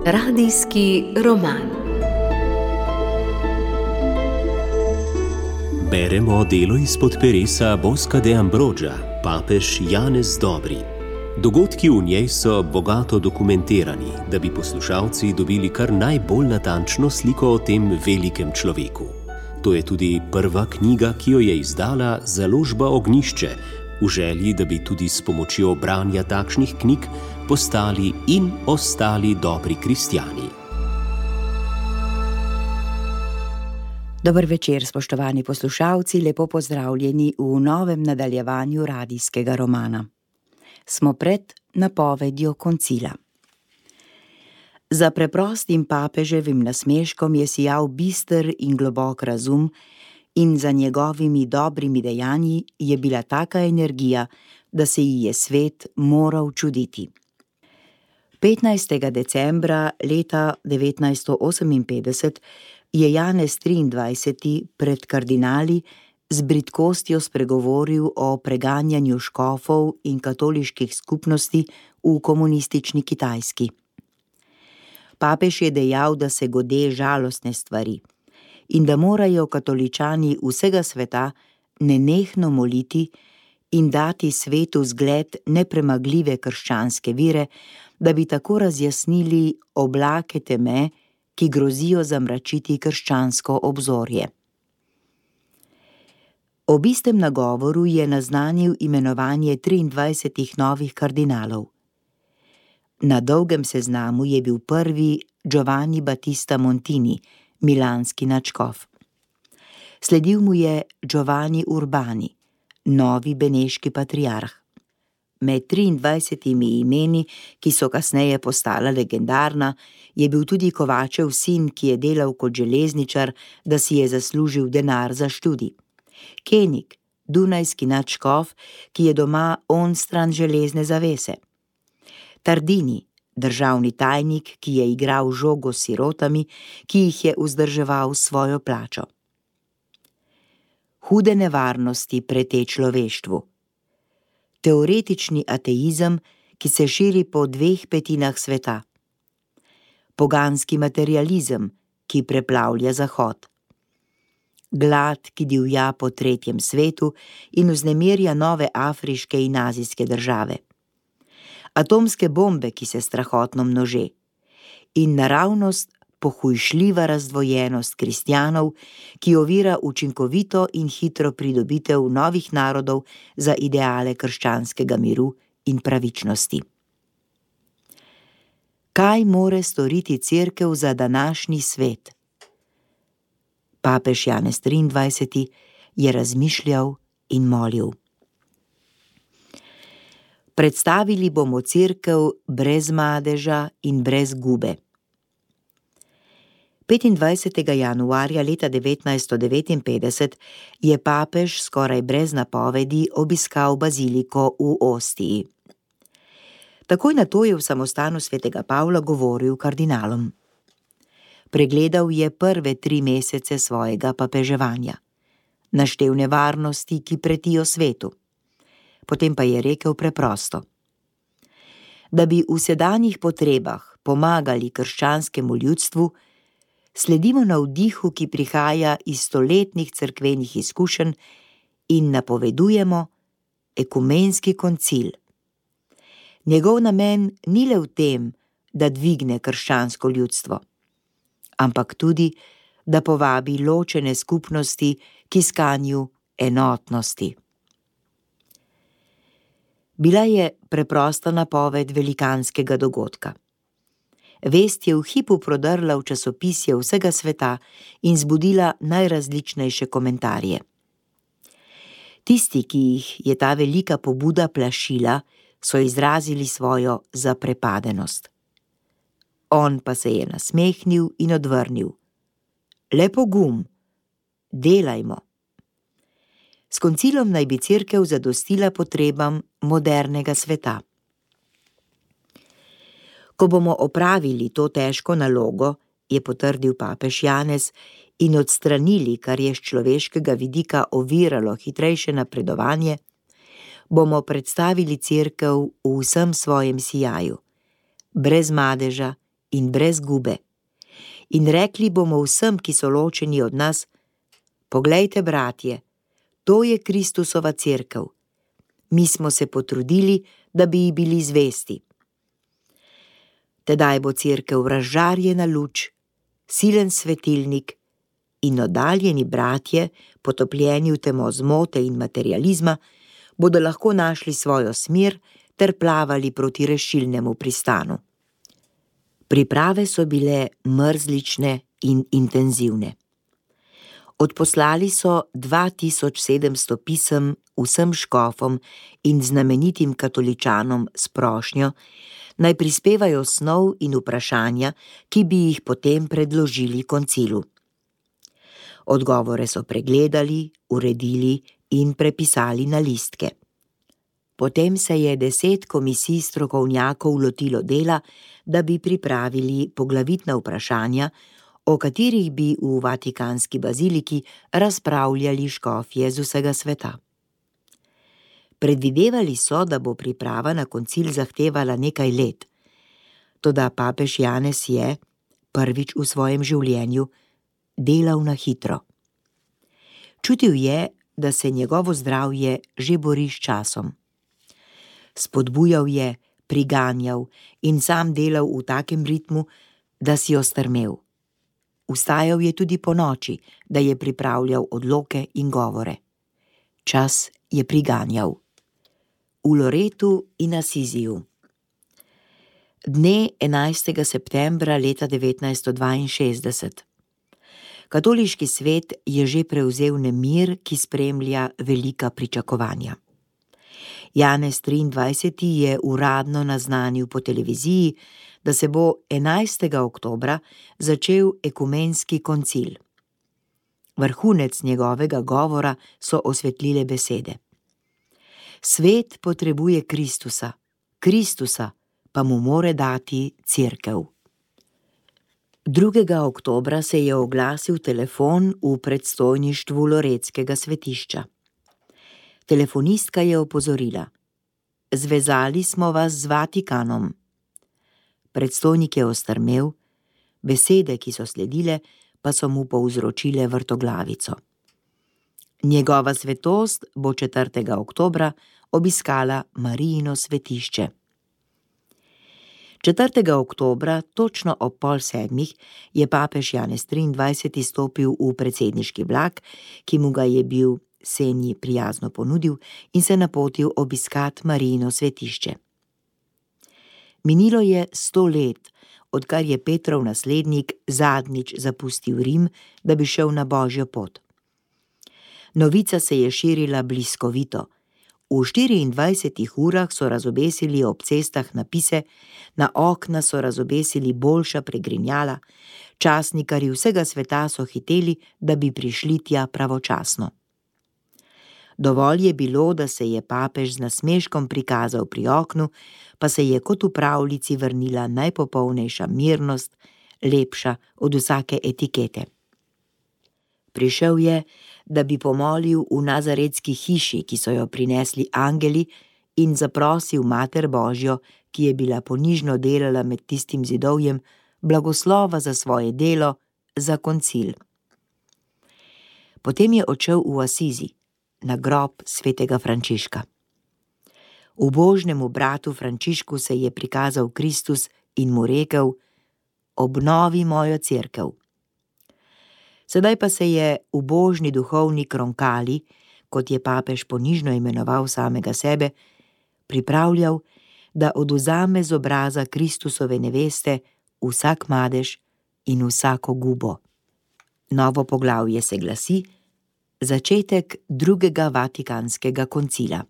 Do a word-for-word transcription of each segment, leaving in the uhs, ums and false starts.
Radijski roman. Beremo delo izpod peresa Bosca de Ambroggia, papež Janez Dobri. Dogodki v njej so bogato dokumentirani, da bi poslušalci dobili kar najbolj natančno sliko o tem velikem človeku. To je tudi prva knjiga, ki jo je izdala založba Ognjišče, v želji, da bi tudi s pomočjo branja takšnih knjig postali in ostali dobri kristjani. Dober večer, spoštovani poslušalci, lepo pozdravljeni v novem nadaljevanju radijskega romana. Smo pred napovedjo koncila. Za preprostim papeževim nasmeškom je sijal bister in globok razum in za njegovimi dobrimi dejanji je bila taka energija, da se ji je svet moral čuditi. petnajstega decembra leta devetnajststo oseminpetdeset je Janez triindvajseti pred kardinali z bridkostjo spregovoril o preganjanju škofov in katoliških skupnosti v komunistični Kitajski. Papež je dejal, da se gode žalostne stvari in da morajo katoličani vsega sveta nenehno moliti in dati svetu zgled nepremagljive krščanske vire, da bi tako razjasnili oblake teme, ki grozijo zamračiti krščansko obzorje. Ob istem nagovoru je naznanil imenovanje triindvajsetih novih kardinalov. Na dolgem seznamu je bil prvi Giovanni Battista Montini, milanski nadškof. Sledil mu je Giovanni Urbani, novi beneški patriarh. Med triindvajsetimi imeni, ki so kasneje postala legendarna, je bil tudi Kovačev sin, ki je delal kot železničar, da si je zaslužil denar za študij. Kenig, dunajski nadškof, ki je doma onstran železne zavese. Tardini, državni tajnik, ki je igral žogo s sirotami, ki jih je vzdrževal svojo plačo. Hude nevarnosti prete človeštvu. Teoretični ateizem, ki se širi po dveh petinah sveta. Poganski materializem, ki preplavlja Zahod. Glad, ki divja po tretjem svetu in vznemirja nove afriške in azijske države. Atomske bombe, ki se strahotno množe. In naravnost pohujšljiva razdvojenost kristjanov, ki ovira učinkovito in hitro pridobitev novih narodov za ideale krščanskega miru in pravičnosti. Kaj more storiti cerkev za današnji svet? Papež Janez triindvajseti je razmišljal in molil. Predstavili bomo cerkev brez madeža in brez gube. petindvajsetega januarja leta devetnajststo devetinpetdeset je papež skoraj brez napovedi obiskal baziliko v Ostiji. Takoj nato je v samostanu svetega Pavla govoril kardinalom. Pregledal je prve tri mesece svojega papeževanja. Naštel nevarnosti, ki pretijo svetu. Potem pa je rekel preprosto. Da bi v sedanjih potrebah pomagali krščanskemu ljudstvu, sledimo navdihu, ki prihaja iz stoletnih cerkvenih izkušenj in napovedujemo ekumenski koncil. Njegov namen ni le v tem, da dvigne krščansko ljudstvo, ampak tudi, da povabi ločene skupnosti k iskanju enotnosti. Bila je preprosta napoved velikanskega dogodka. Vest je v hipu prodrla v časopisje vsega sveta in zbudila najrazličnejše komentarje. Tisti, ki jih je ta velika pobuda plašila, so izrazili svojo zaprepadenost. On pa se je nasmehnil in odvrnil. Le pogum, delajmo. S koncilom naj bi cerkev zadostila potrebam modernega sveta. Ko bomo opravili to težko nalogo, je potrdil papež Janez, in odstranili, kar je s človeškega vidika oviralo hitrejše napredovanje, bomo predstavili cerkev v vsem svojem sijaju, brez madeža in brez gube. In rekli bomo vsem, ki so ločeni od nas: poglejte, bratje, to je Kristusova cerkev. Mi smo se potrudili, da bi ji bili zvesti. Tedaj bo cerkev razžarjena luč, silen svetilnik, in oddaljeni bratje, potopljeni v temo zmote in materializma, bodo lahko našli svojo smer ter plavali proti rešilnemu pristanu. Priprave so bile mrzlične in intenzivne. Odposlali so dva tisoč sedemsto pisem vsem škofom in znamenitim katoličanom s prošnjo, naj prispevajo snov in vprašanja, ki bi jih potem predložili koncilu. Odgovore so pregledali, uredili in prepisali na listke. Potem se je deset komisij strokovnjakov lotilo dela, da bi pripravili poglavitna vprašanja, o katerih bi v Vatikanski baziliki razpravljali škofje z vsega sveta. Predvidevali so, da bo priprava na koncil zahtevala nekaj let, toda papež Janez je, prvič v svojem življenju, delal na hitro. Čutil je, da se njegovo zdravje že bori s časom. Spodbujal je, priganjal in sam delal v takem ritmu, da si ostrmel. Vstajal je tudi po noči, da je pripravljal odloke in govore. Čas je priganjal. V Loretu in Asiziju. Dne enajstega septembra leta devetnajststo dvainšestdeset. Katoliški svet je že prevzel nemir, ki spremlja velika pričakovanja. Janez triindvajseti je uradno naznanil po televiziji, da se bo enajstega oktobra začel ekumenski koncil. Vrhunec njegovega govora so osvetlile besede. Svet potrebuje Kristusa, Kristusa pa mu more dati cerkev. drugega oktobra se je oglasil telefon v predstojništvu Loretskega svetišča. Telefonistka je opozorila: zvezali smo vas z Vatikanom. Predstojnik je ostrmel, besede, ki so sledile, pa so mu povzročile vrtoglavico. Njegova svetost bo četrtega oktobra obiskala Marijino svetišče. četrtega oktobra, točno ob pol sedmih, je papež Janez triindvajseti stopil v predsedniški vlak, ki mu ga je bil Senji prijazno ponudil, in se napotil obiskat Marijino svetišče. Minilo je sto let, odkar je Petrov naslednik zadnjič zapustil Rim, da bi šel na božjo pot. Novica se je širila bliskovito. V štiriindvajsetih urah so razobesili ob cestah napise, na okna so razobesili boljša pregrinjala, časnikarji vsega sveta so hiteli, da bi prišli tja pravočasno. Dovolj je bilo, da se je papež z nasmeškom prikazal pri oknu, pa se je kot v pravljici vrnila najpopolnejša mirnost, lepša od vsake etikete. Prišel je, da bi pomolil v nazaretski hiši, ki so jo prinesli angeli, in zaprosil Mater Božjo, ki je bila ponižno delala med tistim zidovjem, blagoslova za svoje delo, za koncil. Potem je odšel v Asizi, na grob svetega Frančiška. Ubožnemu bratu Frančišku se je prikazal Kristus in mu rekel: obnovi mojo cerkev. Sedaj pa se je ubožni duhovnik Roncalli, kot je papež ponižno imenoval samega sebe, pripravljal, da odvzame z obraza Kristusove neveste vsak madež in vsako gubo. Novo poglavje se glasi: začetek drugega Vatikanskega koncila.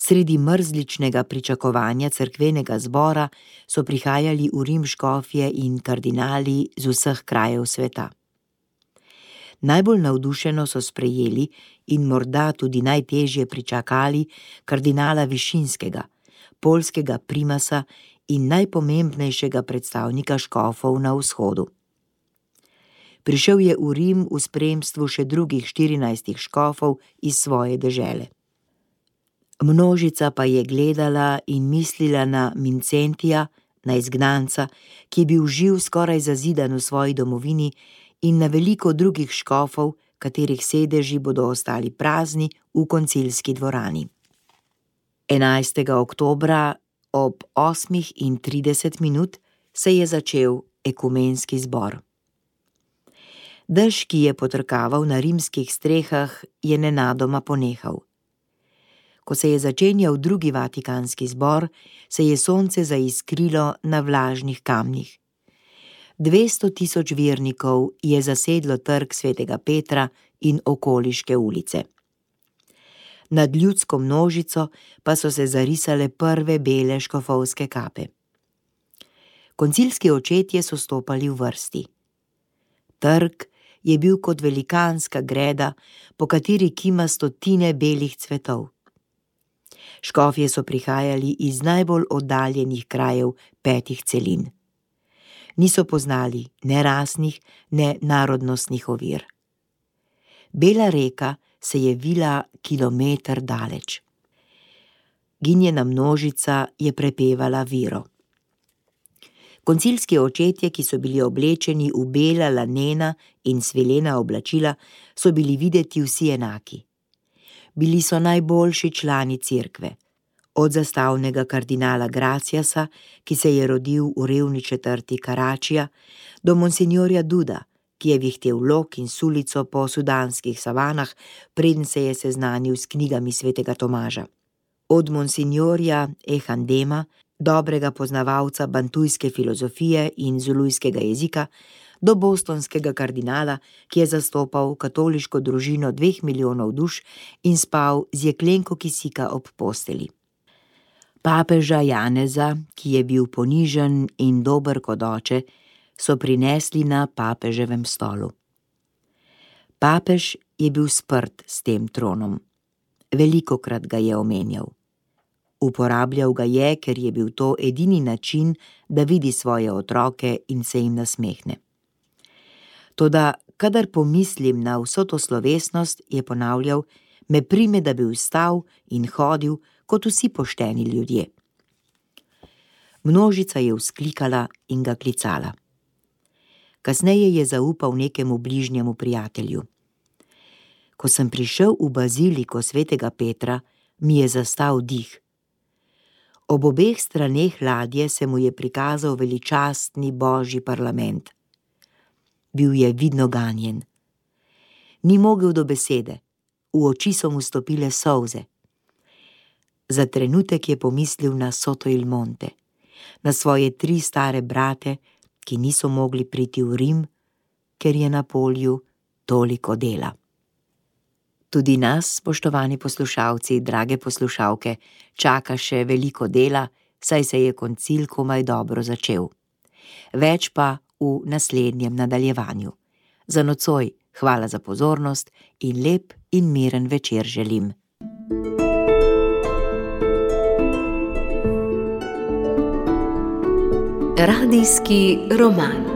Sredi mrzličnega pričakovanja cerkvenega zbora so prihajali v Rim škofje in kardinali z vseh krajev sveta. Najbolj navdušeno so sprejeli in morda tudi najtežje pričakali kardinala Višinskega, poljskega primasa in najpomembnejšega predstavnika škofov na vzhodu. Prišel je v Rim v spremstvu še drugih štirinajstih škofov iz svoje dežele. Množica pa je gledala in mislila na Mincentija, na izgnanca, ki je bil živ skoraj zazidan v svoji domovini, in na veliko drugih škofov, katerih sedeži bodo ostali prazni v koncilski dvorani. enajstega oktobra ob osmih in trideset minut se je začel ekumenski zbor. Dež, ki je potrkaval na rimskih strehah, je nenadoma ponehal. Ko se je začenjal drugi vatikanski zbor, se je sonce zaiskrilo na vlažnih kamnih. Dvesto tisoč vernikov je zasedlo trg svetega Petra in okoliške ulice. Nad ljudsko množico pa so se zarisale prve bele škofovske kape. Koncilski očetje so stopali v vrsti. Trg je bil kot velikanska greda, po kateri kima stotine belih cvetov. Škofje so prihajali iz najbolj oddaljenih krajev petih celin. Niso poznali ne rasnih, ne narodnostnih ovir. Bela reka se je vila kilometer daleč. Ginjena množica je prepevala viro. Koncilski očetje, ki so bili oblečeni v bela lanena in svilena oblačila, so bili videti vsi enaki. Bili so najboljši člani cerkve. Od zastavnega kardinala Graciasa, ki se je rodil v revni četrti Karačija, do monsignorja Duda, ki je vihtel lok in sulico po sudanskih savanah, preden se je seznanil s knjigami svetega Tomaža. Od monsignorja Ehandema, dobrega poznavalca bantujske filozofije in zulujskega jezika, do bostonskega kardinala, ki je zastopal katoliško družino dveh milijonov duš in spal z jeklenko kisika ob posteli. Papeža Janeza, ki je bil ponižen in dober kot oče, so prinesli na papeževem stolu. Papež je bil sprt s tem tronom. Velikokrat ga je omenjal. Uporabljal ga je, ker je bil to edini način, da vidi svoje otroke in se jim nasmehne. Toda, kadar pomislim na vso to slovesnost, je ponavljal, me prime, da bi vstal in hodil kot vsi pošteni ljudje. Množica je vzklikala in ga klicala. Kasneje je zaupal nekemu bližnjemu prijatelju. Ko sem prišel v baziliko svetega Petra, mi je zastal dih. Ob obeh straneh ladje se mu je prikazal veličastni božji parlament. Bil je vidno ganjen. Ni mogel do besede, v oči so mu stopile solze. Za trenutek je pomislil na Soto il Monte, na svoje tri stare brate, ki niso mogli priti v Rim, ker je na polju toliko dela. Tudi nas, spoštovani poslušalci, drage poslušalke, čaka še veliko dela, saj se je koncil komaj dobro začel. Več pa v naslednjem nadaljevanju. Za nocoj hvala za pozornost in lep in miren večer želim. Radijski roman.